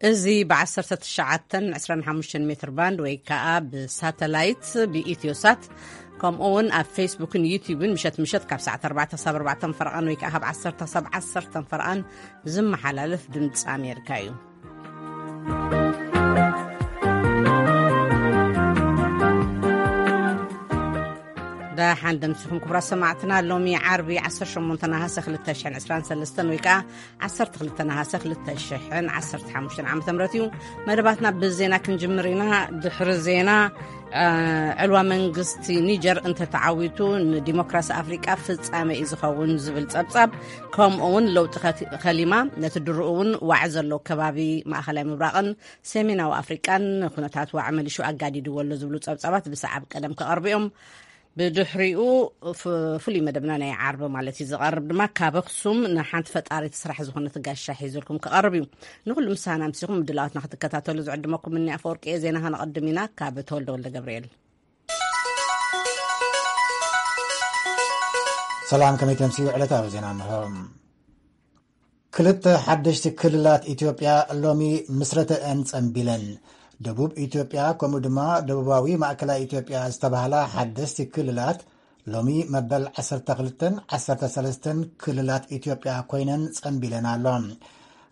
እዚ ብ19 25 ሜትር ባንድ ወይ ከዓ ብሳተላይት ብኢትዮሳት፣ ከምኡ እውን ኣብ ፌስቡክን ዩቲዩብን ምሸት ምሸት ካብ ሰዓት ኣርባዕተ ክሳብ ኣርባዕተ ፈረቓን ወይ ከዓ ካብ ዓሰርተ ክሳብ ዓሰርተ ፈረቓን ዝመሓላለፍ ድምፂ ኣሜሪካ እዩ። ደሓን ደምሲኹም ክቡራት ሰማዕትና። ሎሚ ዓርቢ ዓሰርተ ሸሞንተ ነሃሰ ክልተ ሽሕን ዕስራን ሰለስተን ወይ ከዓ ዓሰርተ ክልተ ነሃሰ ክልተ ሽሕን ዓሰርተ ሓሙሽተን ዓመተ ምህረት እዩ። መደባትና ብዜና ክንጅምር ኢና። ድሕሪ ዜና፣ እ፣ ዕልዋ መንግስቲ ኒጀር እንተተዓዊቱ ንዲሞክራሲ ኣፍሪቃ ፍጻመ እዩ ዝኸውን ዝብል ጸብጻብ፣ ከምኡ እውን ለውጢ ከቲ-፣ ከሊማ ነቲ ድርኡ እውን ዋዕ ዘሎ ከባቢ ማእኸላይ ምብራቕን ሰሜናዊ ኣፍሪቃን ኩነታት ዋዕ መሊሹ ኣጋዲድዎ ኣሎ ዝብሉ ጸብጻባት ብሰዓብ ቀደም ክቐርቡ እዮም። ብድሕሪኡ ፍ-፣ ፍሉይ መደብና ናይ ዓርቢ ማለት እዩ ዝቐርብ ድማ ካብ ኣኽሱም ንሓንቲ ፈጣሪት ስራሕ ዝኾነት ጋሻ ሒዙልኩም ክቐርብ እዩ። ንኹሉ ምሳና ኣምሲኹም ምድላዋትና ክትከታተሉ ዝዕድመኩም እኒ ኣፈወርቂ እየ። ዜና ከነቐድም ኢና ካብ ተወልደ ወልደ ገብርኤል። ሰላም፣ ከመይ ተምስዩ? ዕለታዊ ዜና እንሆ። ክልተ ሓደሽቲ ክልላት ኢትዮጵያ ሎሚ ምስረተአን ጸንቢለን። ደቡብ ኢትዮጵያ ከምኡ ድማ ደቡባዊ ማእከላይ ኢትዮጵያ ዝተባህላ ሓደስቲ ክልላት ሎሚ መበል ዓሰርተ ክልተን ዓሰርተ ሰለስተን ክልላት ኢትዮጵያ ኮይነን ጸንቢለን ኣሎ።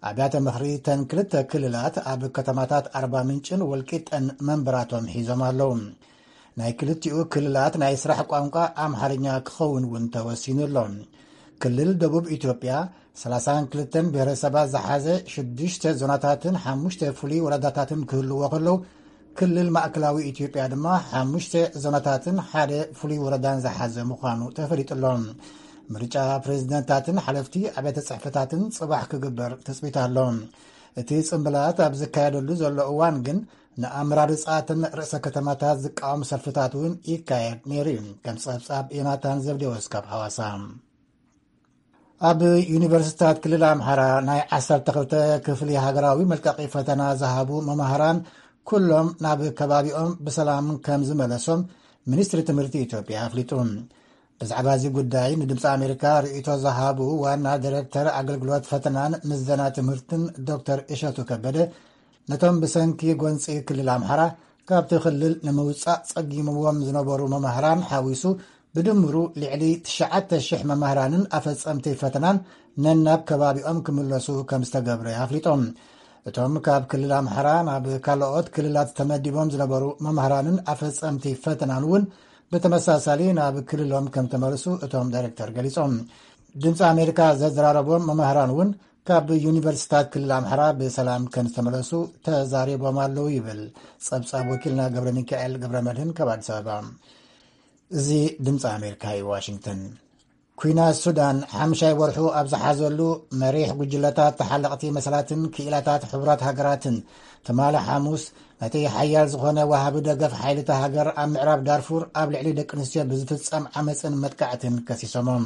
ኣብያተ ምኽሪ ተን ክልተ ክልላት ኣብ ከተማታት ኣርባ ምንጭን ወልቂጠን መንበራቶም ሒዞም ኣለዉ። ናይ ክልቲኡ ክልላት ናይ ስራሕ ቋንቋ ኣምሓርኛ ክኸውን እውን ተወሲኑ ኣሎ። ክልል ደቡብ ኢትዮጵያ ሰላሳን ክልተን ብሔረሰባት ዝሓዘ ሽዱሽተ ዞናታትን ሓሙሽተ ፍሉይ ወረዳታትን ክህልዎ ከለዉ፣ ክልል ማእከላዊ ኢትዮጵያ ድማ ሓሙሽተ ዞናታትን ሓደ ፍሉይ ወረዳን ዝሓዘ ምዃኑ ተፈሊጡ ኣሎ። ምርጫ ፕሬዝደንታትን ሓለፍቲ ኣብያተ ጽሕፈታትን ጽባሕ ክግበር ትጽቢት ኣሎ። እቲ ጽምብላት ኣብ ዝካየደሉ ዘሎ እዋን ግን ንኣመራርጻ እተን ርእሰ ከተማታት ዝቃወም ሰልፍታት እውን ይካየድ ነይሩ እዩ። ከም ጸብጻብ ዮናታን ዘብዴዎስ ካብ ሓዋሳ። ኣብ ዩኒቨርሲቲታት ክልል ኣምሓራ ናይ ዓሰርተ ክልተ ክፍሊ ሃገራዊ መልቀቂ ፈተና ዝሃቡ መማህራን ኩሎም ናብ ከባቢኦም ብሰላም ከም ዝመለሶም ሚኒስትሪ ትምህርቲ ኢትዮጵያ ኣፍሊጡ። ብዛዕባ እዚ ጉዳይ ንድምፂ ኣሜሪካ ርእይቶ ዝሃቡ ዋና ዲሬክተር ኣገልግሎት ፈተናን ምዘና ትምህርትን ዶክተር እሸቱ ከበደ፣ ነቶም ብሰንኪ ጎንፂ ክልል ኣምሓራ ካብቲ ክልል ንምውፃእ ፀጊምዎም ዝነበሩ መማህራን ሓዊሱ ብድምሩ ልዕሊ ትሽዓተ ሽሕ መማህራንን ኣፈፀምቲ ፈተናን ነናብ ከባቢኦም ክምለሱ ከም ዝተገብረ ኣፍሊጦም። እቶም ካብ ክልል ኣምሓራ ናብ ካልኦት ክልላት ተመዲቦም ዝነበሩ መማህራንን ኣፈፀምቲ ፈተናን እውን ብተመሳሳሊ ናብ ክልሎም ከም ተመልሱ እቶም ዳይሬክተር ገሊጾም። ድምፂ ኣሜሪካ ዘዘራረቦም መማህራን እውን ካብ ዩኒቨርሲታት ክልል ኣምሓራ ብሰላም ከም ዝተመለሱ ተዛሪቦም ኣለዉ ይብል ጸብጻብ ወኪልና ገብረ ሚካኤል ገብረ መድህን ካብ ኣዲስ ኣበባ። እዚ ድምፂ ኣሜሪካ እዩ፣ ዋሽንግተን። ኲናት ሱዳን ሓምሻይ ወርሑ ኣብ ዝሓዘሉ፣ መሪሕ ጉጅለታት ተሓለቕቲ መሰላትን ክኢላታት ሕቡራት ሃገራትን ትማሊ ሓሙስ ነቲ ሓያል ዝኾነ ወሃቢ ደገፍ ሓይልታ ሃገር ኣብ ምዕራብ ዳርፉር ኣብ ልዕሊ ደቂ ኣንስትዮ ብዝፍጸም ዓመጽን መጥቃዕትን ከሲሶሞም።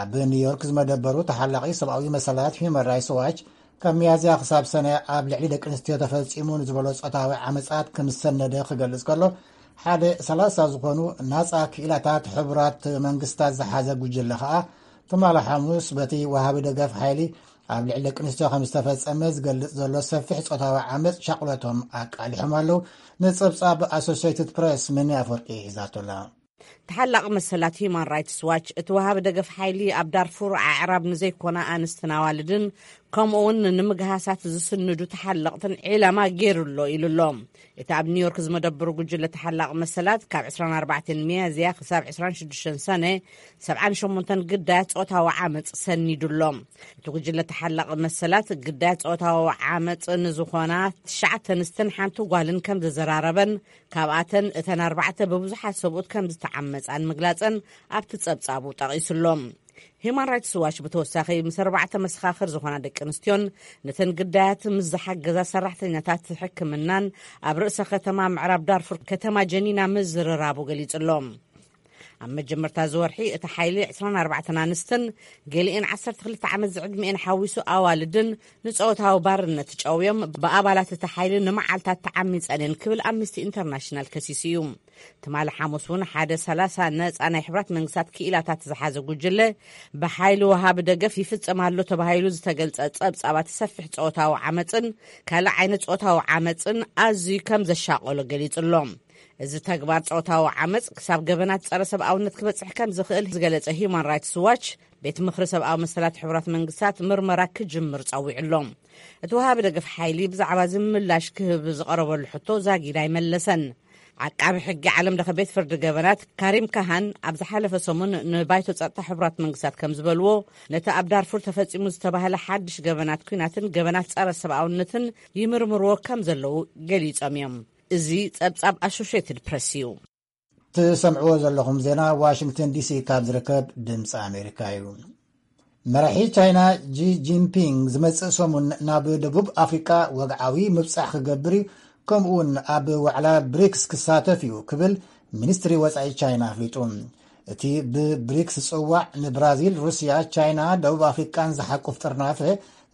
ኣብ ኒውዮርክ ዝመደበሩ ተሓላቒ ሰብኣዊ መሰላት ሂዩማን ራይትስ ዋች፣ ካብ ሚያዝያ ክሳብ ሰነ ኣብ ልዕሊ ደቂ ኣንስትዮ ተፈጺሙ ንዝበሎ ጾታዊ ዓመጻት ከም ዝሰነደ ክገልጽ ከሎ፣ ሓደ ሰላሳ ዝኾኑ ናጻ ክኢላታት ሕቡራት መንግስታት ዝሓዘ ጉጅለ ከኣ ትማሊ ሓሙስ በቲ ወሃቢ ደገፍ ሓይሊ ኣብ ልዕሊ ደቂ ኣንስትዮ ከም ዝተፈጸመ ዝገልጽ ዘሎ ሰፊሕ ጾታዊ ዓመጽ ሻቕሎቶም ኣቃሊሖም ኣለዉ። ንጸብጻብ ኣሶሲየትድ ፕሬስ ምኒ ኣፍወርቂ ሒዛቶላ። ተሓላቒ መሰላት ሂዩማን ራይትስ ዋች፣ እቲ ወሃቢ ደገፍ ሓይሊ ኣብ ዳርፉር ኣዕራብ ንዘይኮና ኣንስትን ኣዋልድን፣ ከምኡ እውን ንምግሃሳት ዝስንዱ ተሓለቕትን ዒላማ ገይሩ ኣሎ ኢሉ ኣሎ። እቲ ኣብ ኒውዮርክ ዝመደብሩ ጉጅለ ተሓላቒ መሰላት፣ ካብ ዕስራን ኣርባዕተን ሚያዝያ ክሳብ ዕስራን ሽዱሽተን ሰነ፣ ሰብዓን ሸሞንተን ግዳያት ጾታዊ ዓመጽ ሰኒዱ ኣሎ። እቲ ጉጅለ ተሓላቒ መሰላት፣ ግዳያት ጾታዊ ዓመጽ ንዝኾና ትሽዓተ ኣንስትን ሓንቲ ጓልን ከም ዘዘራረበን፣ ካብኣተን እተን ኣርባዕተ ብብዙሓት ሰብኡት ከም ዝተዓመጻን ምግላጸን ኣብቲ ጸብጻቡ ጠቒሱ ኣሎ። ሂዩማን ራይትስ ዋች ብተወሳኺ ምስ ኣርባዕተ መሰኻኽር ዝኾና ደቂ ኣንስትዮን ነተን ግዳያት ምስ ዝሓገዛ ሰራሕተኛታት ሕክምናን ኣብ ርእሰ ከተማ ምዕራብ ዳርፉር ከተማ ጀኒና ምዝርራቡ ገሊጹ ኣሎ። ኣብ መጀመርታ ዝወርሒ እቲ ሓይሊ ዕስራን ኣርባዕተን ኣንስትን ገሊኤን ዓሰርተ ክልተ ዓመት ዝዕድሚኤን ሓዊሱ ኣዋልድን ንጾታዊ ባርነት ጨውዮም ብኣባላት እቲ ሓይሊ ንመዓልታት ተዓሚጸን እየን ክብል ኣምነስቲ ኢንተርናሽናል ከሲሱ እዩ። ትማሊ ሓሙስ እውን ሓደ ሰላሳ ነጻ ናይ ሕብራት መንግስታት ክኢላታት ዝሓዘ ጉጅለ ብሓይሊ ወሃቢ ደገፍ ይፍጸም ኣሎ ተባሂሉ ዝተገልጸ ጸብጻባት ሰፊሕ ጾታዊ ዓመጽን ካልእ ዓይነት ጾታዊ ዓመጽን ኣዝዩ ከም ዘሻቐሎ ገሊጹ ኣሎ። እዚ ተግባር ጾታዊ ዓመጽ ክሳብ ገበናት ጸረ ሰብኣውነት ክበጽሕ ከም ዝኽእል ዝገለጸ ሂዩማን ራይትስ ዋች፣ ቤት ምኽሪ ሰብኣዊ መሰላት ሕቡራት መንግስታት ምርመራ ክጅምር ጸዊዑ ኣሎ። እቲ ወሃቢ ደገፍ ሓይሊ ብዛዕባ እዚ ምላሽ ክህብ ዝቐረበሉ ሕቶ ዛጊድ ኣይመለሰን። ዓቃቢ ሕጊ ዓለም ለኸ ቤት ፍርዲ ገበናት ካሪም ካሃን ኣብ ዝሓለፈ ሰሙን ንባይቶ ጸጥታ ሕቡራት መንግስታት ከም ዝበልዎ፣ ነቲ ኣብ ዳርፉር ተፈጺሙ ዝተባህለ ሓድሽ ገበናት ኲናትን ገበናት ጸረ ሰብኣውነትን ይምርምርዎ ከም ዘለዉ ገሊጾም እዮም። እዚ ጸብጻብ ኣሶሽየትድ ፕረስ እዩ። ትሰምዕዎ ዘለኹም ዜና ዋሽንግተን ዲሲ ካብ ዝርከብ ድምፂ ኣሜሪካ እዩ። መራሒ ቻይና ጂ ጂንፒንግ ዝመጽእ ሰሙን ናብ ደቡብ ኣፍሪቃ ወግዓዊ ምብጻሕ ክገብር እዩ፣ ከምኡ እውን ኣብ ዋዕላ ብሪክስ ክሳተፍ እዩ ክብል ሚኒስትሪ ወጻኢ ቻይና ኣፍሊጡ። እቲ ብብሪክስ ዝጽዋዕ ንብራዚል፣ ሩስያ፣ ቻይና፣ ደቡብ ኣፍሪቃን ዝሓቁፍ ጥርናፈ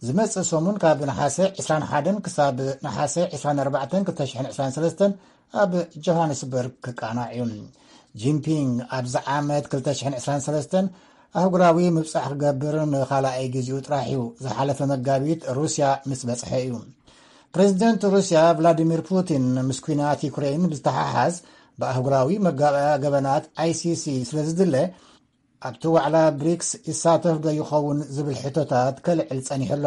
ዝመጽእ ሰሙን ካብ ነሓሰ ዕስራን ሓደን ክሳብ ነሓሰ ዕስራን ኣርባዕተን ክልተ ሽሕን ዕስራን ሰለስተን ኣብ ጆሃንስበርግ ክቃናዕ እዩ። ጂንፒንግ ኣብዚ ዓመት ክልተ ሽሕን ዕስራን ሰለስተን ኣህጉራዊ ምብጻሕ ክገብር ንኻልኣይ ግዜኡ ጥራሕ እዩ። ዝሓለፈ መጋቢት ሩስያ ምስ በጽሐ እዩ። ፕሬዚደንት ሩስያ ቭላዲሚር ፑቲን ምስ ኲናት ዩክሬን ብዝተሓሓዝ ብኣህጉራዊ መጋባእያ ገበናት ኣይሲሲ ስለ ዝድለ ኣብቲ ዋዕላ ብሪክስ ይሳተፍ ዶ ይኸውን ዝብል ሕቶታት ከልዕል ጸኒሑ ኣሎ።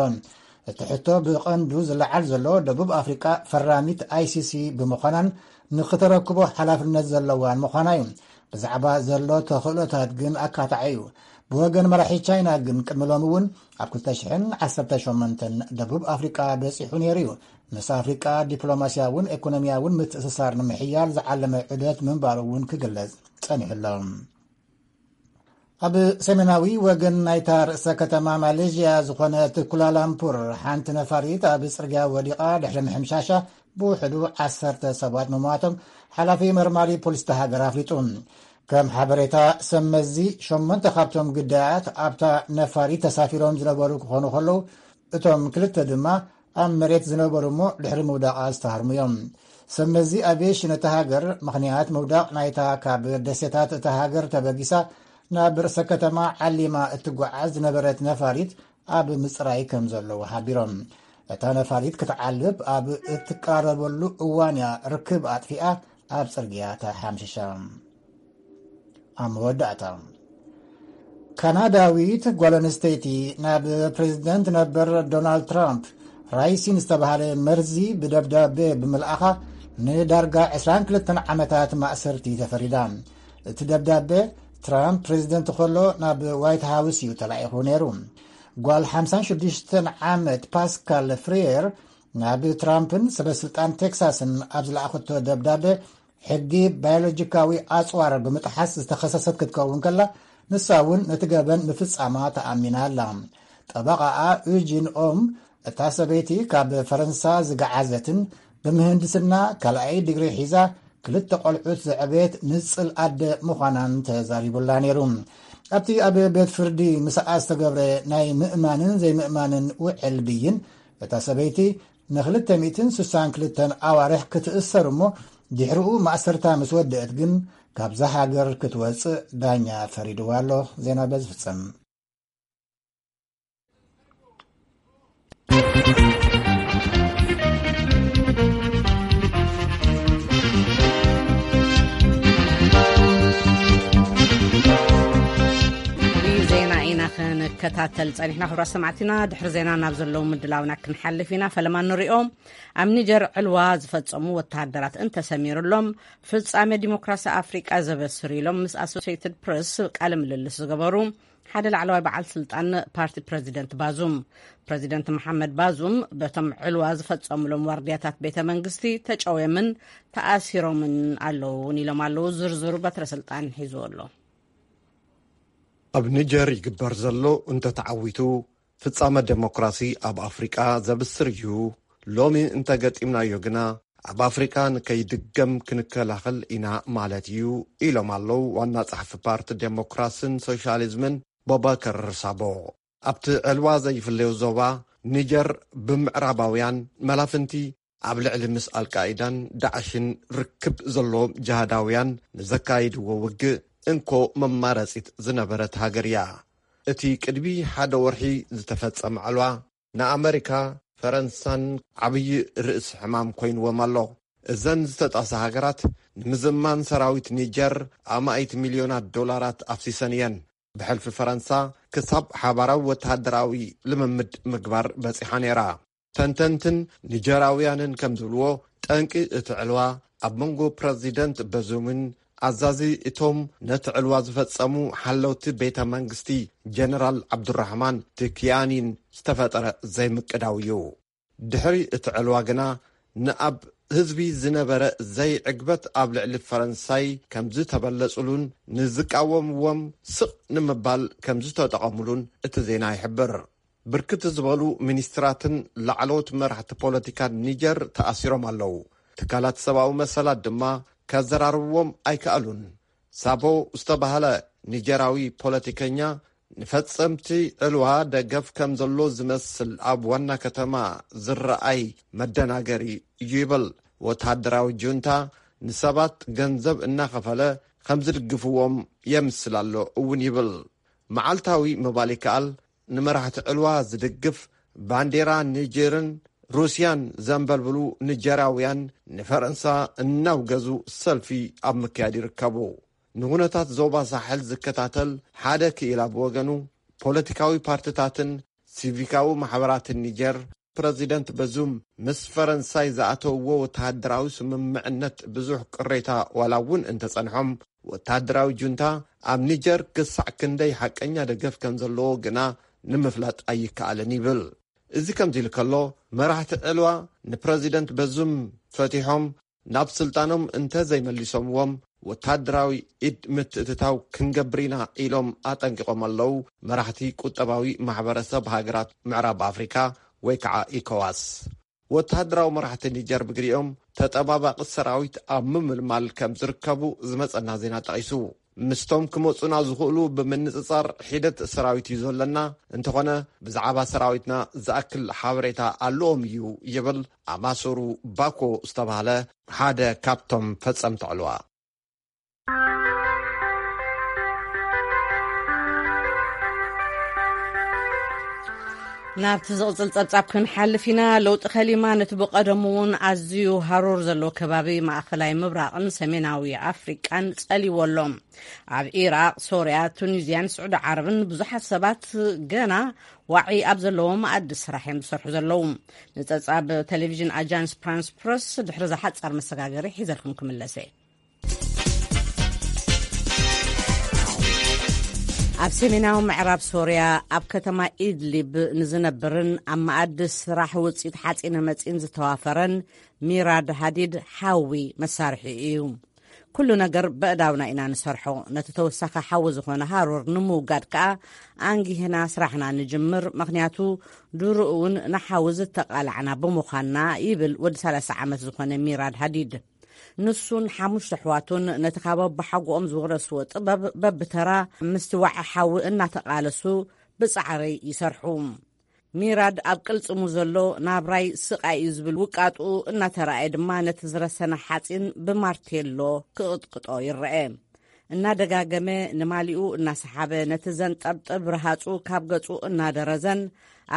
እቲ ሕቶ ብቐንዱ ዝለዓል ዘሎ ደቡብ ኣፍሪቃ ፈራሚት ኣይሲሲ ብምዃናን ንክተረክቦ ሓላፍነት ዘለዋን ምዃና እዩ። ብዛዕባ ዘሎ ተኽእሎታት ግን ኣካታዒ እዩ። ብወገን መራሒ ቻይና ግን ቅድሚ ሎሚ እውን ኣብ ክልተ ሽሕን ዓሰርተ ሸሞንተን ደቡብ ኣፍሪቃ በጺሑ ነይሩ እዩ። ምስ ኣፍሪቃ ዲፕሎማስያውን ኤኮኖሚያውን ምትእስሳር ንምሕያል ዝዓለመ ዑደት ምንባሩ እውን ክግለጽ ጸኒሑ ኣሎ። ኣብ ሰሜናዊ ወገን ናይታ ርእሰ ከተማ ማሌዥያ ዝኾነት ኩላላምፑር ሓንቲ ነፋሪት ኣብ ጽርግያ ወዲቓ ድሕሪ ምሕምሻሻ ብውሕዱ ዓሰርተ ሰባት ምሟቶም ሓላፊ መርማሪ ፖሊስ እታ ሃገር ኣፍሊጡ። ከም ሓበሬታ ሰብ መዚ ሸሞንተ ካብቶም ግዳያት ኣብታ ነፋሪት ተሳፊሮም ዝነበሩ ክኾኑ ከለዉ እቶም ክልተ ድማ ኣብ መሬት ዝነበሩ እሞ ድሕሪ ምውዳቓ ዝተሃርሙ እዮም። ሰብ መዚ ኣቪየሽን እታ ሃገር ምኽንያት ምውዳቕ ናይታ ካብ ደሴታት እታ ሃገር ተበጊሳ ናብ ርእሰ ከተማ ዓሊማ እትጓዓዝ ዝነበረት ነፋሪት ኣብ ምጽራይ ከም ዘለዉ ሓቢሮም። እታ ነፋሪት ክትዓልብ ኣብ እትቃረበሉ እዋን እያ ርክብ ኣጥፊኣ ኣብ ጽርግያ ተሓምሽሻ። ኣብ መወዳእታ፣ ካናዳዊት ጓል ኣንስተይቲ ናብ ፕሬዚደንት ነበር ዶናልድ ትራምፕ ራይሲን ዝተባህለ መርዚ ብደብዳቤ ብምልኣኻ ንዳርጋ ዕስራን ክልተን ዓመታት ማእሰርቲ ተፈሪዳ። እቲ ደብዳቤ ትራምፕ ፕሬዚደንት ከሎ ናብ ዋይት ሃውስ እዩ ተላኢኹ ነይሩ። ጓል ሓምሳን ሽዱሽተን ዓመት ፓስካል ፍሪየር ናብ ትራምፕን ሰበስልጣን ቴክሳስን ኣብ ዝለኣኸቶ ደብዳቤ ሕጊ ባዮሎጂካዊ ኣጽዋር ብምጥሓስ ዝተኸሰሰት ክትከውን ከላ፣ ንሳ እውን ነቲ ገበን ምፍጻማ ተኣሚና ኣላ። ጠበቓኣ ዩጂን ኦም፣ እታ ሰበይቲ ካብ ፈረንሳ ዝገዓዘትን ብምህንድስና ካልኣይ ዲግሪ ሒዛ ክልተ ቆልዑት ዘዕበየት ንጽል ኣደ ምዃናን ተዛሪቡላ ነይሩ። ኣብቲ ኣብ ቤት ፍርዲ ምስኣ ዝተገብረ ናይ ምእማንን ዘይምእማንን ውዕል ብይን፣ እታ ሰበይቲ ንክልተ ሚእትን ስሳን ክልተን ኣዋርሕ ክትእሰር እሞ፣ ድሕሪኡ ማእሰርታ ምስ ወደአት ግን ካብዛ ሃገር ክትወጽእ ዳኛ ፈሪድዋ ኣሎ። ዜና በዚ ፍጸም። ዜና ኢና ክንከታተል ጸኒሕና። ክቡራት ሰማዕትና፣ ድሕሪ ዜና ናብ ዘለዉ ምድላውና ክንሓልፍ ኢና። ፈለማ ንሪኦም። ኣብ ኒጀር ዕልዋ ዝፈጸሙ ወተሃደራት እንተሰሚሩሎም፣ ፍጻሜ ዲሞክራሲ ኣፍሪቃ ዘበስር ኢሎም ምስ ኣሶሲየትድ ፕረስ ቃለ ምልልስ ዝገበሩ ሓደ ላዕለዋይ በዓል ስልጣን ፓርቲ ፕረዚደንት ባዙም። ፕረዚደንት መሓመድ ባዙም በቶም ዕልዋ ዝፈጸሙሎም ዋርድያታት ቤተ መንግስቲ ተጨውዮምን ተኣሲሮምን ኣለዉ እውን ኢሎም ኣለዉ። ዝርዝሩ በትረ ስልጣን ሒዝዎ ኣሎ። ኣብ ኒጀር ይግበር ዘሎ እንተተዓዊቱ፣ ፍጻመ ደሞክራሲ ኣብ ኣፍሪቃ ዘብስር እዩ። ሎሚ እንተገጢምናዮ ግና፣ ኣብ ኣፍሪካ ንከይድገም ክንከላኸል ኢና ማለት እዩ ኢሎም ኣለዉ ዋና ጸሓፊ ፓርቲ ዴሞክራስን ሶሻሊዝምን ቦባከር ሳቦ። ኣብቲ ዕልዋ ዘይፍለዮ ዞባ ኒጀር ብምዕራባውያን መላፍንቲ ኣብ ልዕሊ ምስ ኣልቃኢዳን ዳዕሽን ርክብ ዘለዎም ጅሃዳውያን ንዘካይድዎ ውግእ እንኮ መማረጺት ዝነበረት ሃገር እያ። እቲ ቅድሚ ሓደ ወርሒ ዝተፈጸመ ዕልዋ ንኣመሪካ፣ ፈረንሳን ዓብዪ ርእሲ ሕማም ኮይንዎም ኣሎ። እዘን ዝተጣሳ ሃገራት ንምዝማን ሰራዊት ኒጀር ኣማኢት ሚልዮናት ዶላራት ኣፍሲሰን እየን። ብሕልፊ ፈረንሳ ክሳብ ሓባራዊ ወተሃደራዊ ልምምድ ምግባር በጺሓ ነይራ። ተንተንትን ኒጀራውያንን ከም ዝብልዎ፣ ጠንቂ እቲ ዕልዋ ኣብ መንጎ ፕረዚደንት በዙምን ኣዛዚ እቶም ነቲ ዕልዋ ዝፈጸሙ ሓለውቲ ቤተ መንግስቲ ጀነራል ዓብዱራሕማን ትኪያኒን ዝተፈጠረ ዘይምቅዳው እዩ። ድሕሪ እቲ ዕልዋ ግና ንኣብ ህዝቢ ዝነበረ ዘይዕግበት ኣብ ልዕሊ ፈረንሳይ ከም ዝተበለጹሉን ንዝቃወምዎም ስቕ ንምባል ከም ዝተጠቐሙሉን እቲ ዜና ይሕብር። ብርክት ዝበሉ ሚኒስትራትን ላዕለዎት መራሕቲ ፖለቲካን ኒጀር ተኣሲሮም ኣለዉ። ትካላት ሰብኣዊ መሰላት ድማ ከዘራርብዎም ኣይከኣሉን። ሳቦ ዝተባህለ ኒጀራዊ ፖለቲከኛ ንፈጸምቲ ዕልዋ ደገፍ ከም ዘሎ ዝመስል ኣብ ዋና ከተማ ዝረኣይ መደናገሪ እዩ ይብል። ወተሃደራዊ ጁንታ ንሰባት ገንዘብ እናኸፈለ ከም ዝድግፍዎም የምስል ኣሎ እውን ይብል። መዓልታዊ ምባል ይከኣል፣ ንመራሕቲ ዕልዋ ዝድግፍ ባንዴራ ኒጀርን ሩስያን ዘንበልብሉ ኒጀራውያን ንፈረንሳ እናውገዙ ሰልፊ ኣብ ምክያድ ይርከቡ። ንኹነታት ዞባ ሳሕል ዝከታተል ሓደ ክኢላ ብወገኑ፣ ፖለቲካዊ ፓርትታትን ሲቪካዊ ማሕበራትን ኒጀር፣ ፕረዚደንት በዙም ምስ ፈረንሳይ ዝኣተውዎ ወተሃደራዊ ስምምዕነት ብዙሕ ቅሬታ ዋላ እውን እንተጸንሖም፣ ወተሃደራዊ ጁንታ ኣብ ኒጀር ክሳዕ ክንደይ ሓቀኛ ደገፍ ከም ዘለዎ ግና ንምፍላጥ ኣይከኣልን ይብል። እዚ ከምዚ ኢሉ ከሎ፣ መራሕቲ ዕልዋ ንፕረዚደንት በዙም ፈቲሖም ናብ ስልጣኖም እንተ ዘይመሊሶምዎም፣ ወተሃደራዊ ኢድ ምትእትታው ክንገብር ኢና ኢሎም ኣጠንቂቖም ኣለዉ። መራሕቲ ቁጠባዊ ማሕበረሰብ ሃገራት ምዕራብ ኣፍሪካ ወይ ከዓ ኢኮዋስ። ወተሃደራዊ መራሕቲ ኒጀር ብግዲኦም፣ ተጠባባቒ ሰራዊት ኣብ ምምልማል ከም ዝርከቡ ዝመጸና ዜና ጠቒሱ። ምስቶም ክመጹና ዝኽእሉ ብምንጽጻር ሒደት ሰራዊት እዩ ዘለና። እንተኾነ፣ ብዛዕባ ሰራዊትና ዝኣክል ሓበሬታ ኣለዎም እዩ ይብል ኣማሶሩ ባኮ ዝተባህለ ሓደ ካብቶም ፈጸምቲ ዕልዋ። ናብቲ ዝቕጽል ጸብጻብ ክንሓልፍ ኢና። ለውጢ ከሊማ ነቲ ብቐደሙ እውን ኣዝዩ ሃሩር ዘለዎ ከባቢ ማእኸላይ ምብራቕን ሰሜናዊ ኣፍሪቃን ጸልይዎ ኣሎ። ኣብ ኢራቕ፣ ሶርያ፣ ቱኒዝያን ስዑዲ ዓረብን ብዙሓት ሰባት ገና ዋዒ ኣብ ዘለዎ መኣዲ ስራሕ እዮም ዝሰርሑ ዘለዉ። ንጸብጻብ ቴሌቪዥን ኣጃንስ ፍራንስ ፕረስ ድሕሪ ዝሓጻር መሰጋገሪ ሒዘልኩም ክምለሰ። ኣብ ሰሜናዊ ምዕራብ ሶርያ ኣብ ከተማ ኢድሊብ ንዝነብርን ኣብ መኣዲ ስራሕ ውፅኢት ሓፂነ መፂን ዝተዋፈረን ሚራድ ሃዲድ ሓዊ መሳርሒ እዩ። ኩሉ ነገር በእዳውና ኢና ንሰርሖ። ነቲ ተወሳኺ ሓዊ ዝኾነ ሃሩር ንምውጋድ ከኣ ኣንጊህና ስራሕና ንጅምር። ምኽንያቱ ድሮ እውን ንሓዊ ዝተቓላዕና ብምዃንና ይብል ወዲ ሰላሳ ዓመት ዝኾነ ሚራድ ሃዲድ። ንሱን ሓሙሽተ ኣሕዋቱን ነቲ ካብ ኣቦሓጎኦም ዝወረስዎ ጥበብ በብተራ ምስቲ ዋዒ ሓዊ እናተቓለሱ ብጻዕሪ ይሰርሑ። ሚራድ ኣብ ቅልጽሙ ዘሎ ናብራይ ስቓይ እዩ ዝብል ውቃጡ እናተራእየ ድማ ነቲ ዝረሰነ ሓጺን ብማርቴሎ ክቕጥቅጦ ይረአ። እናደጋገመ ንማሊኡ እናሰሓበ ነቲ ዘንጠብጥብ ረሃጹ ካብ ገጹ እናደረዘን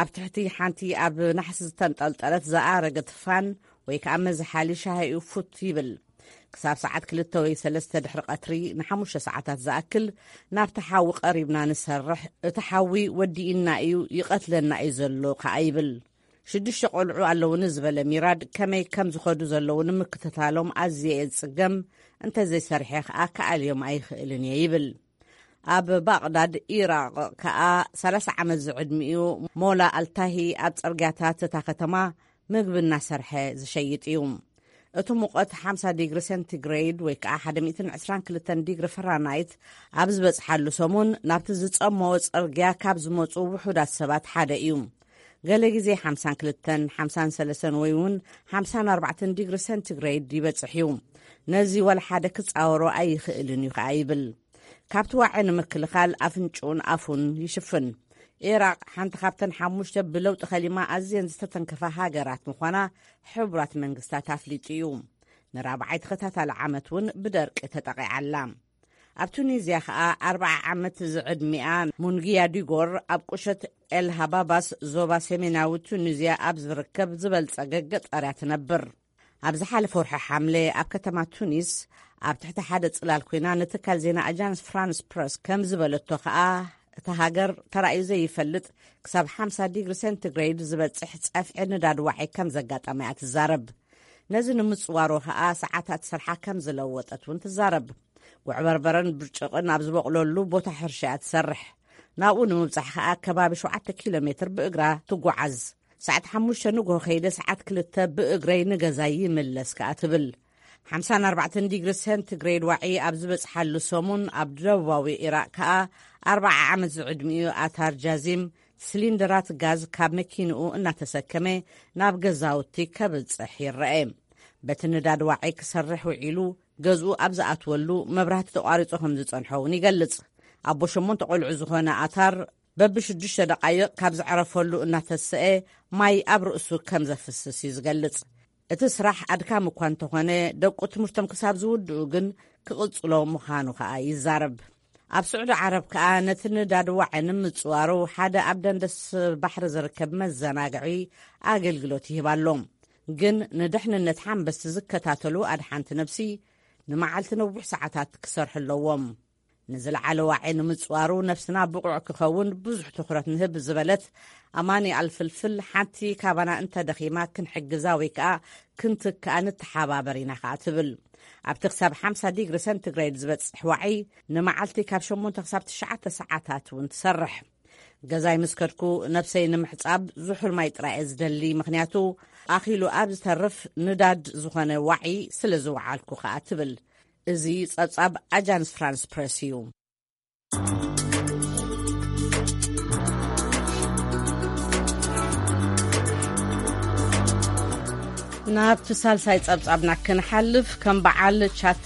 ኣብ ትሕቲ ሓንቲ ኣብ ናሕሲ ዝተንጠልጠለት ዝኣረገት ፋን ወይ ከኣ መዝሓሊ ሻሂኡ ፉት ይብል። ክሳብ ሰዓት ክልተ ወይ ሰለስተ ድሕሪ ቀትሪ ንሓሙሽተ ሰዓታት ዝኣክል ናብቲ ሓዊ ቀሪብና ንሰርሕ። እቲ ሓዊ ወዲእና እዩ፣ ይቐትለና እዩ ዘሎ ከኣ ይብል። ሽዱሽተ ቆልዑ ኣለውኒ ዝበለ ሚራድ ከመይ ከም ዝኸዱ ዘለዉ ንምክትታሎም ኣዝየ እየ ዝጽገም፣ እንተዘይሰርሐ ከኣ ክኣልዮም ኣይኽእልን እየ ይብል። ኣብ ባቕዳድ ኢራቕ ከኣ ሰላሳ ዓመት ዝዕድሚኡ ሞላ ኣልታሂ ኣብ ጽርግያታት እታ ከተማ ምግቢ እናሰርሐ ዝሸይጥ እዩ። እቲ ሙቐት ሓምሳ ዲግሪ ሴንቲግሬድ ወይ ከኣ ሓደ ሚእትን ዕስራን ክልተን ዲግሪ ፈራናይት ኣብ ዝበጽሓሉ ሰሙን ናብቲ ዝጸመወ ጽርግያ ካብ ዝመጹ ውሑዳት ሰባት ሓደ እዩ። ገለ ግዜ ሓምሳን ክልተን፣ ሓምሳን ሰለስተን ወይ እውን ሓምሳን ኣርባዕተን ዲግሪ ሴንቲግሬድ ይበጽሕ እዩ። ነዚ ወላ ሓደ ክጻወሮ ኣይኽእልን እዩ ከኣ ይብል። ካብቲ ዋዒ ንምክልኻል ኣፍንጭኡን ኣፉን ይሽፍን። ኢራቕ ሓንቲ ካብተን ሓሙሽተ ብለውጢ ከሊማ ኣዝየን ዝተተንከፋ ሃገራት ምዃና ሕቡራት መንግስታት ኣፍሊጡ እዩ። ንራብዓይ ተኸታታሊ ዓመት እውን ብደርቂ ተጠቒዓ ኣላ። ኣብ ቱኒዝያ ኸኣ ኣርብዓ ዓመት ዝዕድሚኣ ሙንግያ ዲጎር ኣብ ቁሸት ኤል ሃባባስ ዞባ ሰሜናዊ ቱኒዝያ ኣብ ዝርከብ ዝበልጸገ ገጠር እያ ትነብር። ኣብ ዝሓለፈ ወርሒ ሓምለ ኣብ ከተማ ቱኒስ ኣብ ትሕቲ ሓደ ጽላል ኮይና ንትካል ዜና ኣጃንስ ፍራንስ ፕረስ ከም ዝበለቶ ኸኣ፣ እታ ሃገር ተራእዩ ዘይፈልጥ ክሳብ ሓምሳ ዲግሪ ሴንቲግሬድ ዝበጽሕ ጸፍዒ ንዳድ ዋዒ ከም ዘጋጠማ እያ ትዛረብ። ነዚ ንምጽዋሩ ኸኣ ሰዓታት ስርሓ ከም ዝለወጠት እውን ትዛረብ። ጉዕ በርበረን ብርጭቕን ኣብ ዝበቕለሉ ቦታ ሕርሻ እያ ትሰርሕ። ናብኡ ንምብጻሕ ኸኣ ከባቢ ሸውዓተ ኪሎ ሜትር ብእግራ ትጓዓዝ። ሰዓት ሓሙሽተ ንግሆ ከይደ ሰዓት ክልተ ብእግረይ ንገዛይ ይምለስ ከኣ ትብል። ሓምሳን ኣርባዕተን ዲግሪ ሴንቲግሬድ ዋዒ ኣብ ዝበጽሓሉ ሰሙን ኣብ ደቡባዊ ኢራቕ ከኣ ኣርብዓ ዓመት ዝዕድሚኡ ኣታር ጃዚም ሲሊንደራት ጋዝ ካብ መኪንኡ እናተሰከመ ናብ ገዛውቲ ከብጽሕ ይረአ። በቲ ንዳድ ዋዒ ክሰርሕ ውዒሉ ገዝኡ ኣብ ዝኣትወሉ መብራህቲ ተቋሪጹ ከም ዝጸንሖ እውን ይገልጽ። ኣቦ ሸሞንተ ቆልዑ ዝኾነ ኣታር በብሽዱሽተ ደቓይቕ ካብ ዘዕረፈሉ እናተሰኤ ማይ ኣብ ርእሱ ከም ዘፍስስ እዩ ዝገልጽ። እቲ ስራሕ ኣድካሚ እኳ እንተኾነ፣ ደቁ ትምህርቶም ክሳብ ዝውድኡ ግን ክቕጽሎ ምዃኑ ከኣ ይዛረብ። ኣብ ስዑዲ ዓረብ ከኣ ነቲ ንዳድ ዋዒ ንምጽዋሩ ሓደ ኣብ ደንደስ ባሕሪ ዝርከብ መዘናግዒ ኣገልግሎት ይህብ ኣሎ። ግን ንድሕንነት ሓንበስቲ ዝከታተሉ ኣድሓንቲ ነብሲ ንመዓልቲ ነዊሕ ሰዓታት ክሰርሑ ኣለዎም። ንዝለዓለ ዋዒ ንምጽዋሩ ነብስና ብቑዕ ክኸውን ብዙሕ ትኹረት ንህብ ዝበለት ኣማኒ ኣልፍልፍል፣ ሓንቲ ካባና እንተደኺማ ክንሕግዛ ወይ ከኣ ክንትክኣ ንተሓባበር ኢና ከኣ ትብል። ኣብቲ ክሳብ ሓምሳ ዲግሪ ሴንቲግሬድ ዝበጽሕ ዋዒ ንመዓልቲ ካብ ሸሞንተ ክሳብ ትሽዓተ ሰዓታት እውን ትሰርሕ። ገዛይ ምስ ከድኩ ነብሰይ ንምሕጻብ ዝሑል ማይ ጥራይ እየ ዝደሊ፣ ምኽንያቱ ኣኺሉ ኣብ ዝተርፍ ንዳድ ዝኾነ ዋዒ ስለ ዝወዓልኩ ከኣ ትብል። እዚ ጸብጻብ ኣጃንስ ፍራንስ ፕረስ እዩ። ናብቲ ሳልሳይ ጸብጻብና ክንሓልፍ፣ ከም በዓል ቻት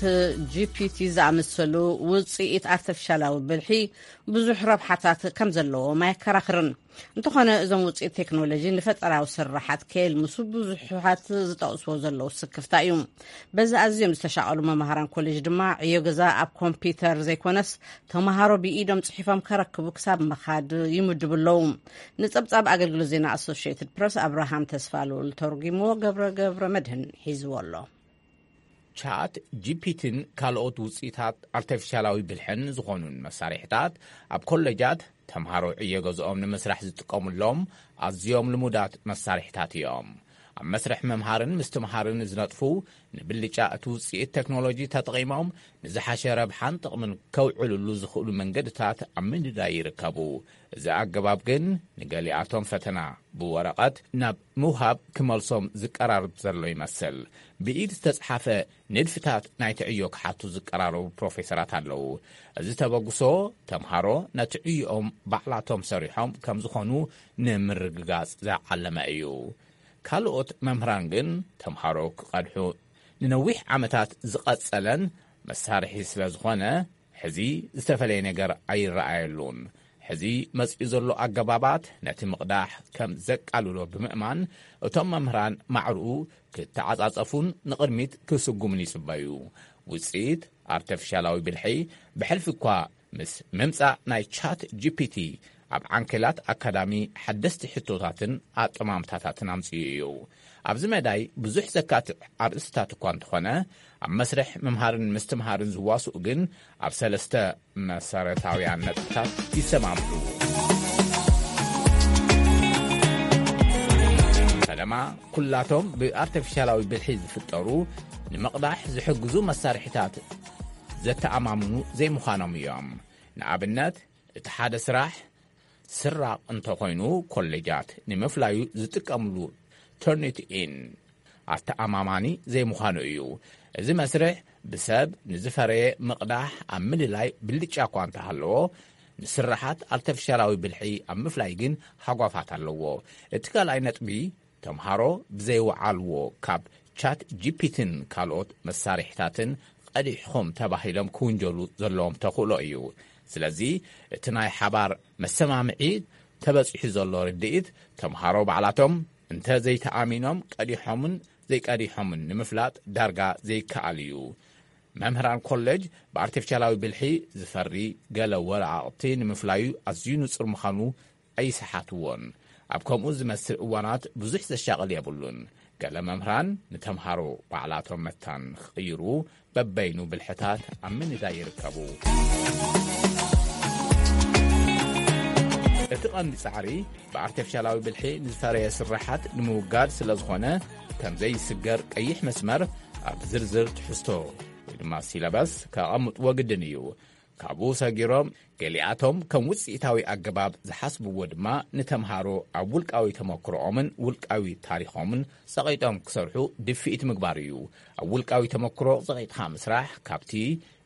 ጂ ፒ ቲ ዝኣመሰሉ ውጽኢት ኣርቲፊሻላዊ ብልሒ ብዙሕ ረብሓታት ከም ዘለዎም ኣየከራኽርን። እንተኾነ፣ እዞም ውጽኢት ቴክኖሎጂ ንፈጠራዊ ስራሓት ከየልምሱ ብዙሓት ዝጠቕስዎ ዘለዉ ስክፍታ እዩ። በዚ ኣዝዮም ዝተሻቐሉ መምሃራን ኮሌጅ ድማ ዕዮ ገዛ ኣብ ኮምፒውተር ዘይኮነስ፣ ተምሃሮ ብኢዶም ጽሒፎም ከረክቡ ክሳብ ምኻድ ይምድቡ ኣለዉ። ንጸብጻብ ኣገልግሎት ዜና ኣሶሽየትድ ፕረስ ኣብርሃም ተስፋልኡል ተርጒምዎ፣ ገብረ ገብረ መድህን ሒዝዎ ኣሎ። ቻት ጂ ፒ ቲን ካልኦት ውጽኢታት ኣርቲፊሻላዊ ብልሕን ዝኾኑን መሳርሒታት ኣብ ኮሌጃት ተምሃሮ ዕዮ ገዝኦም ንምስራሕ ዝጥቀሙሎም ኣዝዮም ልሙዳት መሳርሒታት እዮም። ኣብ መስርሕ ምምሃርን ምስትምሃርን ዝነጥፉ፣ ንብልጫ እቲ ውጽኢት ቴክኖሎጂ ተጠቒሞም ንዝሓሸ ረብሓን ጥቕምን ከውዕልሉ ዝኽእሉ መንገድታት ኣብ ምንዳይ ይርከቡ። እዚ ኣገባብ ግን ንገሊኣቶም ፈተና ብወረቐት ናብ ምውሃብ ክመልሶም ዝቀራርብ ዘሎ ይመስል። ብኢድ ዝተጽሓፈ ንድፍታት ናይቲ ዕዮ ክሓቱ ዝቀራረቡ ፕሮፌሰራት ኣለዉ። እዚ ተበግሶ፣ ተምሃሮ ነቲ ዕዮኦም ባዕላቶም ሰሪሖም ከም ዝኾኑ ንምርግጋጽ ዝዓለመ እዩ። ካልኦት መምህራን ግን ተምሃሮ ክቐድሑ ንነዊሕ ዓመታት ዝቐጸለን መሳርሒ ስለ ዝኾነ፣ ሕዚ ዝተፈለየ ነገር ኣይረኣየሉን። ሕዚ መጺኡ ዘሎ ኣገባባት ነቲ ምቕዳሕ ከም ዘቃልሎ ብምእማን፣ እቶም መምህራን ማዕርኡ ክተዓጻጸፉን ንቕድሚት ክስጉሙን ይጽበዩ። ውጽኢት ኣርተፊሻላዊ ብልሒ ብሕልፊ እኳ ምስ ምምጻእ ናይ ቻት ጂ ፒ ቲ ኣብ ዓንኬላት ኣካዳሚ ሓደስቲ ሕቶታትን ኣጠማምታታትን ኣምጺኡ እዩ። ኣብዚ መዳይ ብዙሕ ዘካትዕ ኣርእስታት እኳ እንተኾነ፣ ኣብ መስርሕ ምምሃርን ምስትምሃርን ዝዋስኡ ግን ኣብ ሰለስተ መሰረታውያን ነጥብታት ይሰማምዑ። ፈለማ፣ ኩላቶም ብኣርተፊሻላዊ ብልሒ ዝፍጠሩ ንምቕዳሕ ዝሕግዙ መሳርሒታት ዘተኣማምኑ ዘይምዃኖም እዮም። ንኣብነት፣ እቲ ሓደ ስራሕ ስራቕ እንተኾይኑ፣ ኮሌጃት ንምፍላዩ ዝጥቀምሉ ተርኒት ኢን ኣተኣማማኒ ዘይምዃኑ እዩ። እዚ መስርሕ ብሰብ ንዝፈረየ ምቕዳሕ ኣብ ምልላይ ብልጫ እኳ እንተሃለዎ፣ ንስርሓት ኣርተፊሻላዊ ብልሒ ኣብ ምፍላይ ግን ሃጓፋት ኣለዎ። እቲ ካልኣይ ነጥቢ፣ ተምሃሮ ብዘይወዓልዎ ካብ ቻት ጂ ፒ ቲን ካልኦት መሳርሒታትን ቀዲሕኹም ተባሂሎም ክውንጀሉ ዘለዎም ተኽእሎ እዩ። ስለዚ እቲ ናይ ሓባር መሰማምዒ ተበጺሑ ዘሎ ርድኢት፣ ተምሃሮ ባዕላቶም እንተ ዘይተኣሚኖም ቀዲሖምን ዘይቀዲሖምን ንምፍላጥ ዳርጋ ዘይከኣል እዩ። መምህራን ኮሌጅ ብኣርቲፊሻላዊ ብልሒ ዝፈሪ ገለ ወረቓቕቲ ንምፍላዩ ኣዝዩ ንጹር ምዃኑ ኣይሰሓትዎን። ኣብ ከምኡ ዝመስል እዋናት ብዙሕ ዘሻቕል የብሉን። ገለ መምህራን ንተምሃሮ ባዕላቶም መታን ክቕይሩ በበይኑ ብልሕታት ኣብ ምንዳይ ይርከቡ። እቲ ቀንዲ ጻዕሪ ብኣርቲፊሻላዊ ብልሒ ንዝፈረየ ስርሓት ንምውጋድ ስለ ዝኾነ፣ ከም ዘይስገር ቀይሕ መስመር ኣብ ዝርዝር ትሕዝቶ ወይ ድማ ሲለበስ ከቐምጥዎ ግድን እዩ። ካብኡ ሰጊሮም ገሊኣቶም ከም ውጽኢታዊ ኣገባብ ዝሓስብዎ ድማ ንተምሃሮ ኣብ ውልቃዊ ተመክሮኦምን ውልቃዊ ታሪኾምን ጸቒጦም ክሰርሑ ድፍኢት ምግባር እዩ። ኣብ ውልቃዊ ተመክሮ ጸቒጥካ ምስራሕ ካብቲ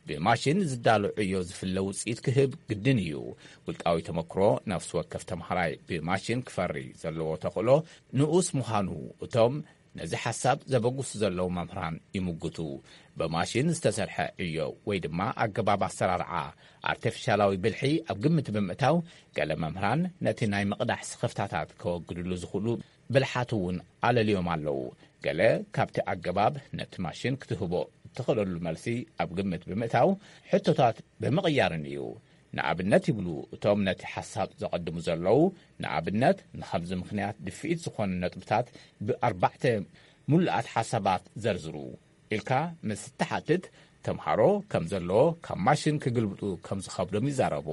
ብማሽን ዝዳሎ ዕዮ ዝፍለ ውጽኢት ክህብ ግድን እዩ። ውልቃዊ ተመክሮ ነፍሲ ወከፍ ተምሃራይ ብማሽን ክፈሪ ዘለዎ ተኽእሎ ንኡስ ምዃኑ እቶም ነዚ ሓሳብ ዘበጉሱ ዘለዉ መምህራን ይምጉቱ። ብማሽን ዝተሰርሐ ዕዮ ወይ ድማ ኣገባብ ኣሰራርዓ ኣርቲፊሻላዊ ብልሒ ኣብ ግምት ብምእታው፣ ገለ መምህራን ነቲ ናይ ምቕዳሕ ስኽፍታታት ከወግድሉ ዝኽእሉ ብልሓት እውን ኣለልዮም ኣለዉ። ገለ ካብቲ ኣገባብ ነቲ ማሽን ክትህቦ እትኽእለሉ መልሲ ኣብ ግምት ብምእታው፣ ሕቶታት ብምቕያርን እዩ። ንኣብነት ይብሉ እቶም ነቲ ሓሳብ ዘቐድሙ ዘለዉ፣ ንኣብነት ንኸምዚ ምኽንያት ድፍኢት ዝኾኑ ነጥብታት ብኣርባዕተ ምሉኣት ሓሳባት ዘርዝሩ ኢልካ ምስ እትሓትት፣ ተምሃሮ ከም ዘለዎ ካብ ማሽን ክግልብጡ ከም ዝኸብዶም ይዛረቡ።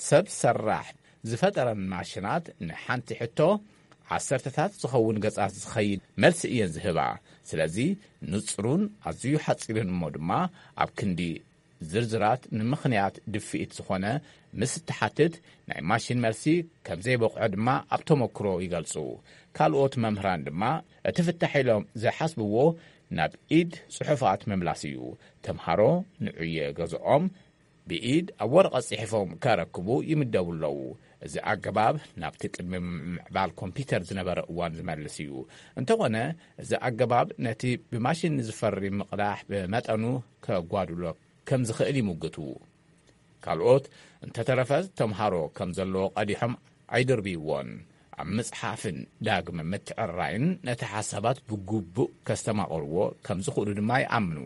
ሰብ ሰራሕ ዝፈጠረን ማሽናት ንሓንቲ ሕቶ ዓሰርተታት ዝኸውን ገጻት ዝኸይድ መልሲ እየን ዝህባ። ስለዚ ንጹሩን ኣዝዩ ሓጺርን እሞ ድማ ኣብ ክንዲ ዝርዝራት ንምኽንያት ድፍኢት ዝኾነ ምስ እትሓትት፣ ናይ ማሽን መልሲ ከም ዘይበቕዖ ድማ ኣብ ተመክሮ ይገልጹ። ካልኦት መምህራን ድማ እቲ ፍታሕ ኢሎም ዝሓስብዎ ናብ ኢድ ጽሑፋት ምምላስ እዩ። ተምሃሮ ንዕዮ ገዝኦም ብኢድ ኣብ ወረቐት ጽሒፎም ከረክቡ ይምደቡ ኣለዉ። እዚ ኣገባብ ናብቲ ቅድሚ ምዕባል ኮምፒተር ዝነበረ እዋን ዝመልስ እዩ። እንተኾነ፣ እዚ ኣገባብ ነቲ ብማሽን ዝፈሪ ምቕዳሕ ብመጠኑ ከጓድሎ ከም ዝኽእል ይምግቱ። ካልኦት፣ እንተተረፈ ተምሃሮ ከም ዘለዎ ቀዲሖም ኣይድርብይዎን። ኣብ ምጽሓፍን ዳግመ ምትዕርራይን ነቲ ሓሳባት ብግቡእ ከስተማቕርዎ ከም ዝኽእሉ ድማ ይኣምኑ።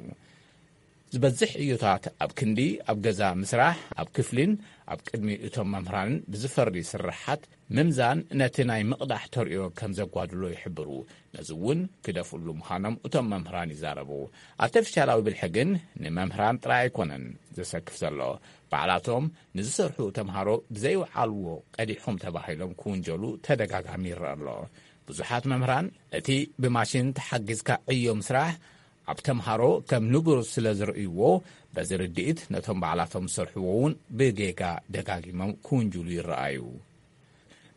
ዝበዝሕ ዕዮታት ኣብ ክንዲ ኣብ ገዛ ምስራሕ፣ ኣብ ክፍሊን ኣብ ቅድሚ እቶም መምህራንን ብዝፈሪ ስርሓት ምምዛን ነቲ ናይ ምቕዳሕ ተርእዮ ከም ዘጓድሎ ይሕብሩ። ነዚ እውን ክደፍእሉ ምዃኖም እቶም መምህራን ይዛረቡ። ኣርተፊሻላዊ ብልሒ ግን ንመምህራን ጥራይ ኣይኮነን ዘሰክፍ ዘሎ። ባዕላቶም ንዝሰርሑ ተምሃሮ ብዘይወዓልዎ ቀዲሖም ተባሂሎም ክውንጀሉ ተደጋጋሚ ይረአ ኣሎ። ብዙሓት መምህራን እቲ ብማሽን ተሓጊዝካ ዕዮ ምስራሕ ኣብ ተምሃሮ ከም ንቡር ስለ ዝርእይዎ፣ በዚ ርድኢት ነቶም ባዕላቶም ዝሰርሕዎ እውን ብጌጋ ደጋጊሞም ክውንጅሉ ይረኣዩ።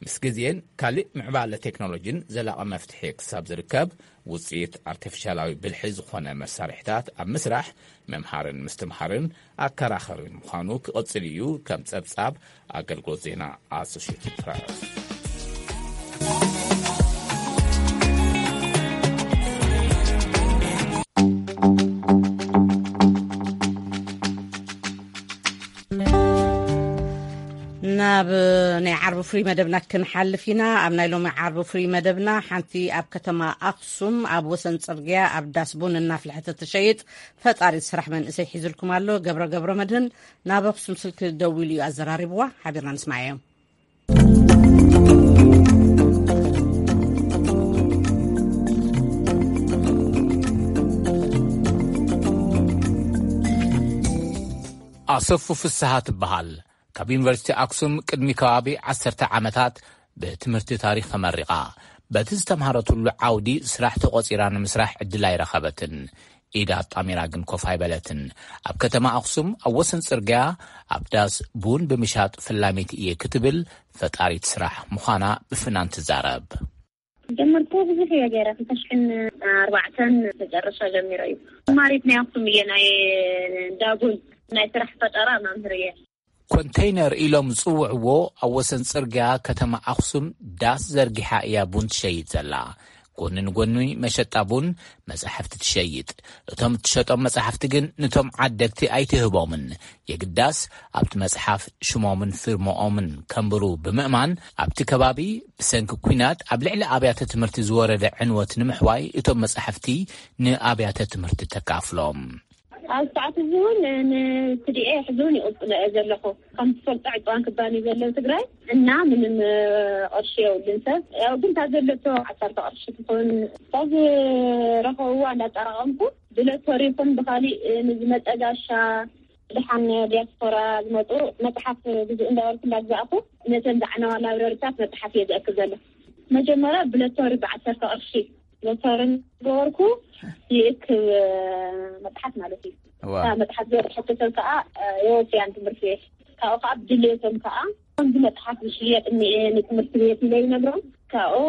ምስ ግዜን ካልእ ምዕባለ ቴክኖሎጂን ዘላቒ መፍትሒ ክሳብ ዝርከብ፣ ውጽኢት ኣርቲፊሻላዊ ብልሒ ዝኾነ መሳርሒታት ኣብ ምስራሕ፣ ምምሃርን ምስትምሃርን ኣከራኸሪ ምዃኑ ክቕጽል እዩ፣ ከም ጸብጻብ ኣገልግሎት ዜና ኣሶሽየትድ ፕረስ። ናብ ናይ ዓርቢ ፍሪ መደብና ክንሓልፍ ኢና። ኣብ ናይ ሎሚ ዓርቢ ፍሪ መደብና፣ ሓንቲ ኣብ ከተማ ኣኽሱም ኣብ ወሰን ጽርግያ ኣብ ዳስ ቡን እናፍልሐት እትሸይጥ ፈጣሪት ስራሕ መንእሰይ ሒዙልኩም ኣሎ። ገብረ ገብረ መድህን ናብ ኣኽሱም ስልኪ ደዊሉ እዩ ኣዘራሪብዋ። ሓቢርና ንስማዓዮ። ኣሰፉ ፍስሃ ትበሃል። ካብ ዩኒቨርሲቲ ኣክሱም ቅድሚ ከባቢ ዓሰርተ ዓመታት ብትምህርቲ ታሪኽ ተመሪቓ። በቲ ዝተምሃረትሉ ዓውዲ ስራሕ ተቖጺራ ንምስራሕ ዕድል ኣይረኸበትን። ኢድ ኣጣሚራ ግን ኮፍ ኣይበለትን። ኣብ ከተማ ኣክሱም ኣብ ወሰን ጽርግያ ኣብ ዳስ ቡን ብምሻጥ ፈላሚት እየ ክትብል ፈጣሪት ስራሕ ምዃና ብፍናን ትዛረብ። ጀመርኩ ብዙሕ እየ ገይረ፣ ክልተ ሽሕን ኣርባዕተን መጨረሻ ጀሚረ እዩ። ተማሪት ናይ ኣክሱም እየ፣ ናይ ዳቡን ናይ ስራሕ ፈጠራ መምህር እየ። ኮንተይነር ኢሎም ዝጽውዕዎ ኣብ ወሰን ጽርግያ ከተማ ኣኽሱም ዳስ ዘርጊሓ እያ ቡን ትሸይጥ ዘላ። ጎኒ ንጎኒ መሸጣ ቡን መጻሕፍቲ ትሸይጥ። እቶም እትሸጦም መጻሕፍቲ ግን ንቶም ዓደግቲ ኣይትህቦምን። የግዳስ ኣብቲ መጽሓፍ ሽሞምን ፊርማኦምን ከንብሩ ብምእማን ኣብቲ ከባቢ ብሰንኪ ኲናት ኣብ ልዕሊ ኣብያተ ትምህርቲ ዝወረደ ዕንወት ንምሕዋይ እቶም መጻሕፍቲ ንኣብያተ ትምህርቲ ተካፍሎም። ኣብ ሰዓት እዚ እውን ንትዲኤ ሕዚ እውን ይቕጽሎ እየ ዘለኹ። ከም ትፈልጦ ዕፅዋን ክባን እዩ ዘሎ ትግራይ እና ምንም ቅርሺ የብሉን ሰብ። ያው ግን ካብ ዘለቶ ዓሰርተ ቅርሺ ትኾን ካብ ረኸብዋ እንዳጠራቐምኩ ብለቶሪ ይኹን ብኻሊእ ንዝመፀ ጋሻ ድሓን ዲያስፖራ ዝመፁ መፅሓፍ ግዙእ እንዳበልኩ እንዳግዛእኩ ነተን ዝዓነዋ ላብረሪታት መፅሓፍ እየ ዘእክብ ዘሎ። መጀመርያ ብለቶሪ ብዓሰርተ ቅርሺ ሎተርን ገበርኩ ይእክብ መጽሓፍ ማለት እዩ። እታ መጽሓፍ ዝበጽሐቶ ሰብ ከዓ የወፍያን ትምህርቲ ቤት ካብኡ ከዓ ብድልየቶም ከዓ ከምዚ መጽሓፍ ዝሽየጥ እኒኤ ንትምህርቲ ቤት ኢለ ይነግሮም። ካብኡ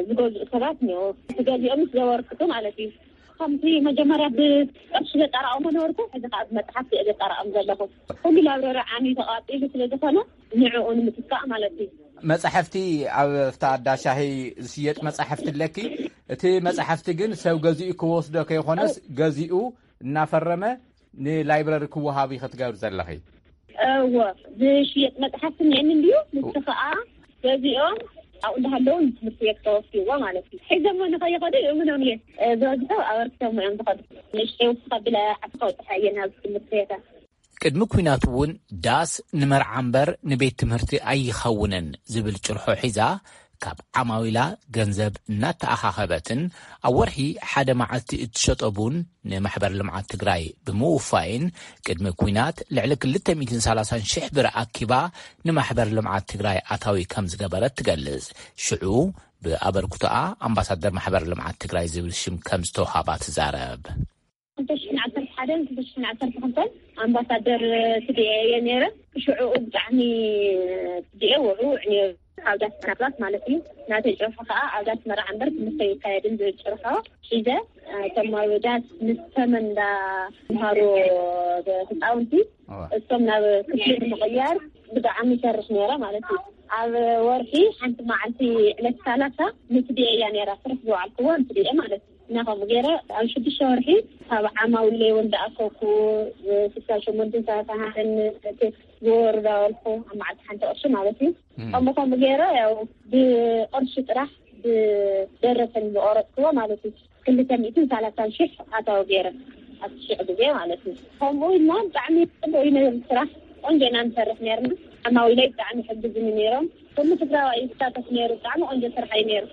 ዝገዝኡ ሰባት እኒኦ። ዝገዚኦም ምስ ገበርኩ ማለት እዩ። ከምቲ መጀመርያ ብቅርሺ ዘጠራቕሞ ነበርኩ፣ ሕዚ ከዓ ብመጽሓፍ እየ ዘጠራቕም ዘለኹ። ኩሉ ላብረሪ ዓሚ ተቃጺሉ ስለ ዝኾነ ንዕኡ ንምትካእ ማለት እዩ። መጻሕፍቲ ኣብ ፍታ ኣዳሻሂ ዝሽየጥ መጻሕፍቲ ኣለኪ። እቲ መጻሕፍቲ ግን ሰብ ገዚኡ ክወስዶ ከይኾነስ ገዚኡ እናፈረመ ንላይብረሪ ክወሃብ እዩ ክትገብር ዘለኺ። እወ፣ ዝሽየጥ መጽሓፍቲ እኒአኒ እንድዩ። ንሱ ኸኣ ገዚኦም ኣብኡ እንዳሃለዉ ንትምህርቲ ቤት ከወፍይዎ ማለት እዩ። ሒዞሞ ንኸይኸዱ ይእምኖም እየ። ዝበዝሑ ኣበርክቶም እዮም ዝኸዱ። ንእሽተይ ውስኻ ብለ ዓዲ ከውፅሓ እየ ናብዚ ትምህርቲ ቤታ። ቅድሚ ኲናት እውን ዳስ ንመርዓ እምበር ንቤት ትምህርቲ ኣይኸውንን ዝብል ጭርሖ ሒዛ ካብ ዓማዊላ ገንዘብ እናተኣኻኸበትን ኣብ ወርሒ ሓደ መዓልቲ እትሸጦ ቡን ንማሕበር ልምዓት ትግራይ ብምውፋይን ቅድሚ ኲናት ልዕሊ ክልተ ሚእትን ሰላሳን ሽሕ ብር ኣኪባ ንማሕበር ልምዓት ትግራይ ኣታዊ ከም ዝገበረት ትገልጽ። ሽዑ ብኣበርክቶኣ ኣምባሳደር ማሕበር ልምዓት ትግራይ ዝብል ሽም ከም ዝተውሃባ ትዛረብ። ክልተ ሽሕን ዓሰርተ ሓደን ክልተ ሽሕን ዓሰርተ ክልተን ኣምባሳደር ትድኤ እየ ነይረ። ሽዑኡ ብጣዕሚ ትድኤ ውዕውዕ ነይሩ። ኣብ ዳስ መርዓታት ማለት እዩ። ናተይ ጭርሖ ከዓ ኣብ ዳስ መርዓ እምበር ትምህርቲ ኣይካየድን ዝብል ጭርሖ ሒዘ፣ እቶም ኣብ ዳስ ምስ ተመን እንዳምሃሩ ህፃውንቲ እዋ። እቶም ናብ ክፍሊ ንምቕያር ብጣዕሚ ይሰርሕ ነይረ ማለት እዩ። ኣብ ወርሒ ሓንቲ መዓልቲ ዕለት ሰላሳ ንትድኤ እያ ነይራ ስራሕ ዝወዓልክዎ ንትድኤ ማለት እዩ። እና ከምኡ ገይረ ኣብ ሽዱሽተ ወርሒ ካብ ዓማዊለይ እውን እንዳኣከብኩ ስልሳ ሸሞንተን ሰላሳ ሃደን ቴክስ ዝወርዳ ወልኩ ኣብ መዓልቲ ሓንቲ ቅርሺ ማለት እዩ። እም። ከምኡ ከምኡ ገይረ ያው ብቅርሺ ጥራሕ ብደረሰን ዝቆረፅክዎ ማለት እዩ። ክልተ ሚእትን ሰላሳን ሽሕ ኣታዊ ገይረ ኣብቲ ሽዑ ግዜ ማለት እዩ። ከምኡ ኢልና ብጣዕሚ ፅቡቅ እዩ ነይሩ ስራሕ። ቆንጆ ኢና ንሰርሕ ነይርና። ዓማዊለይ ብጣዕሚ ይሕግዙኒ ነይሮም። ኩሉ ትግራዋይ ይሳተፍ ነይሩ። ብጣዕሚ ቆንጆ ስራሕ እዩ ነይሩ።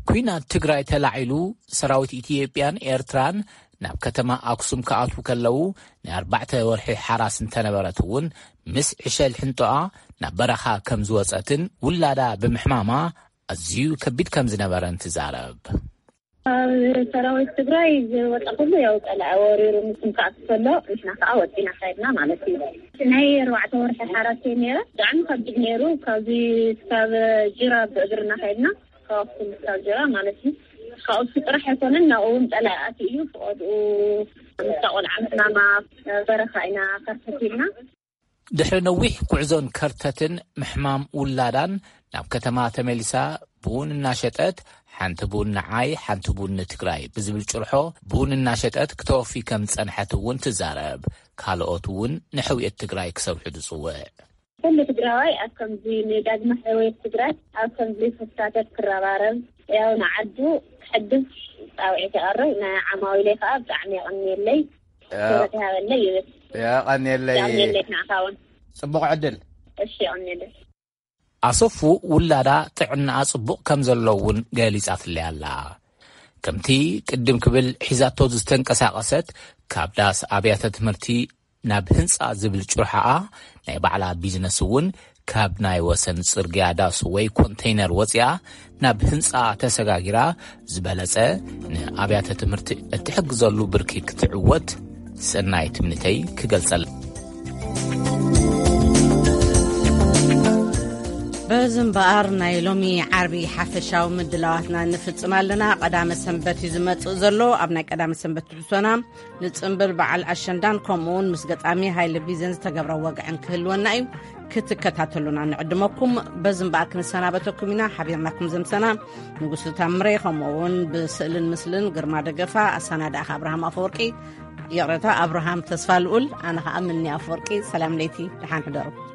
ኲናት ትግራይ ተላዒሉ ሰራዊት ኢትዮጵያን ኤርትራን ናብ ከተማ ኣክሱም ክኣትዉ ከለዉ ናይ ኣርባዕተ ወርሒ ሓራስ እንተነበረት እውን ምስ ዕሸል ሕንጦኣ ናብ በረኻ ከም ዝወጸትን ውላዳ ብምሕማማ ኣዝዩ ከቢድ ከም ዝነበረን ትዛረብ። ኣብ ሰራዊት ትግራይ ዝወጣ ኩሉ ያው ጸላኢ ወሪሩ ምስም ክኣቱ ከሎ ንሕና ከዓ ወፂና ካይድና ማለት እዩ። ናይ ኣርባዕተ ወርሒ ሓራስ እየ ነይረ። ብጣዕሚ ከቢድ ነይሩ። ካብዚ ክሳብ ጅራ ብእግርና ካይድና ካብ ኣክሱም ክሳብ ጅራ ማለት እዩ። ካብኡ ጥራሕ ኣይኮነን፣ ናብኡ እውን ጸላኢ ኣትዩ እዩ። ፍቐድኡ ምስታ ቆልዓ ምሕማማ በረኻ ኢና ከርተት ኢልና። ድሕሪ ነዊሕ ጉዕዞን ከርተትን ምሕማም ውላዳን ናብ ከተማ ተመሊሳ ቡን እናሸጠት፣ ሓንቲ ቡን ንዓይ ሓንቲ ቡን ንትግራይ ብዝብል ጭርሖ ቡን እናሸጠት ክተወፊ ከም ዝጸንሐት እውን ትዛረብ። ካልኦት እውን ንሕውየት ትግራይ ክሰርሑ ትጽውዕ። ኩሉ ትግራዋይ ኣብ ከምዚ ንዳግመ ሕውየት ትግራይ ኣብ ከምዚ ክሳተፍ ክረባረብ፣ ያው ንዓዱ ክሕግዝ ጻውዒት የቐርብ። ንዓማዊለይ ከኣ ብጣዕሚ የቐንየለይ። ያ-፣ ክብረት ይሃበለይ ይብል። የቐንየለይ። የቐንየለይ ንዓኻ እውን። ጽቡቕ ዕድል። እሺ፣ የቐንየለይ። ኣሰፉ ውላዳ ጥዕናኣ ጽቡቕ ከም ዘሎ እውን ገሊጻትለይ ኣላ። ከምቲ ቅድም ክብል ሒዛቶ ዝተንቀሳቐሰት ካብ ዳስ ኣብያተ ትምህርቲ ናብ ህንጻ ዝብል ጭርሖኣ ናይ ባዕላ ቢዝነስ እውን ካብ ናይ ወሰን ጽርግያ ዳስ ወይ ኮንተይነር ወጺኣ ናብ ህንጻ ተሰጋጊራ ዝበለጸ ንኣብያተ ትምህርቲ እትሕግዘሉ ብርኪ ክትዕወት ሰናይ ትምኒተይ ክገልጸላ። እዚ እምበኣር ናይ ሎሚ ዓርቢ ሓፈሻዊ ምድላዋትና ንፍጽም ኣለና። ቀዳመ ሰንበት እዩ ዝመጽእ ዘሎ። ኣብ ናይ ቀዳመ ሰንበት ትሕዝቶና ንጽምብል በዓል ኣሸንዳን ከምኡ እውን ምስ ገጣሚ ሃይለ ቢዘን ዝተገብረ ወግዕን ክህልወና እዩ። ክትከታተሉና ንዕድመኩም። በዚ እምበኣር ክንሰናበተኩም ኢና። ሓቢርናኩም ዘምሰና ንጉሱ ታምረ፣ ከምኡ እውን ብስእልን ምስልን ግርማ ደገፋ፣ ኣሰናዳእኻ ኣብርሃም ኣፈወርቂ፣ ይቕረታ፣ ኣብርሃም ተስፋ ልኡል፣ ኣነ ኸኣ ምኒ ኣፈወርቂ። ሰላም ለይቲ፣ ደሓን ሕደሩ።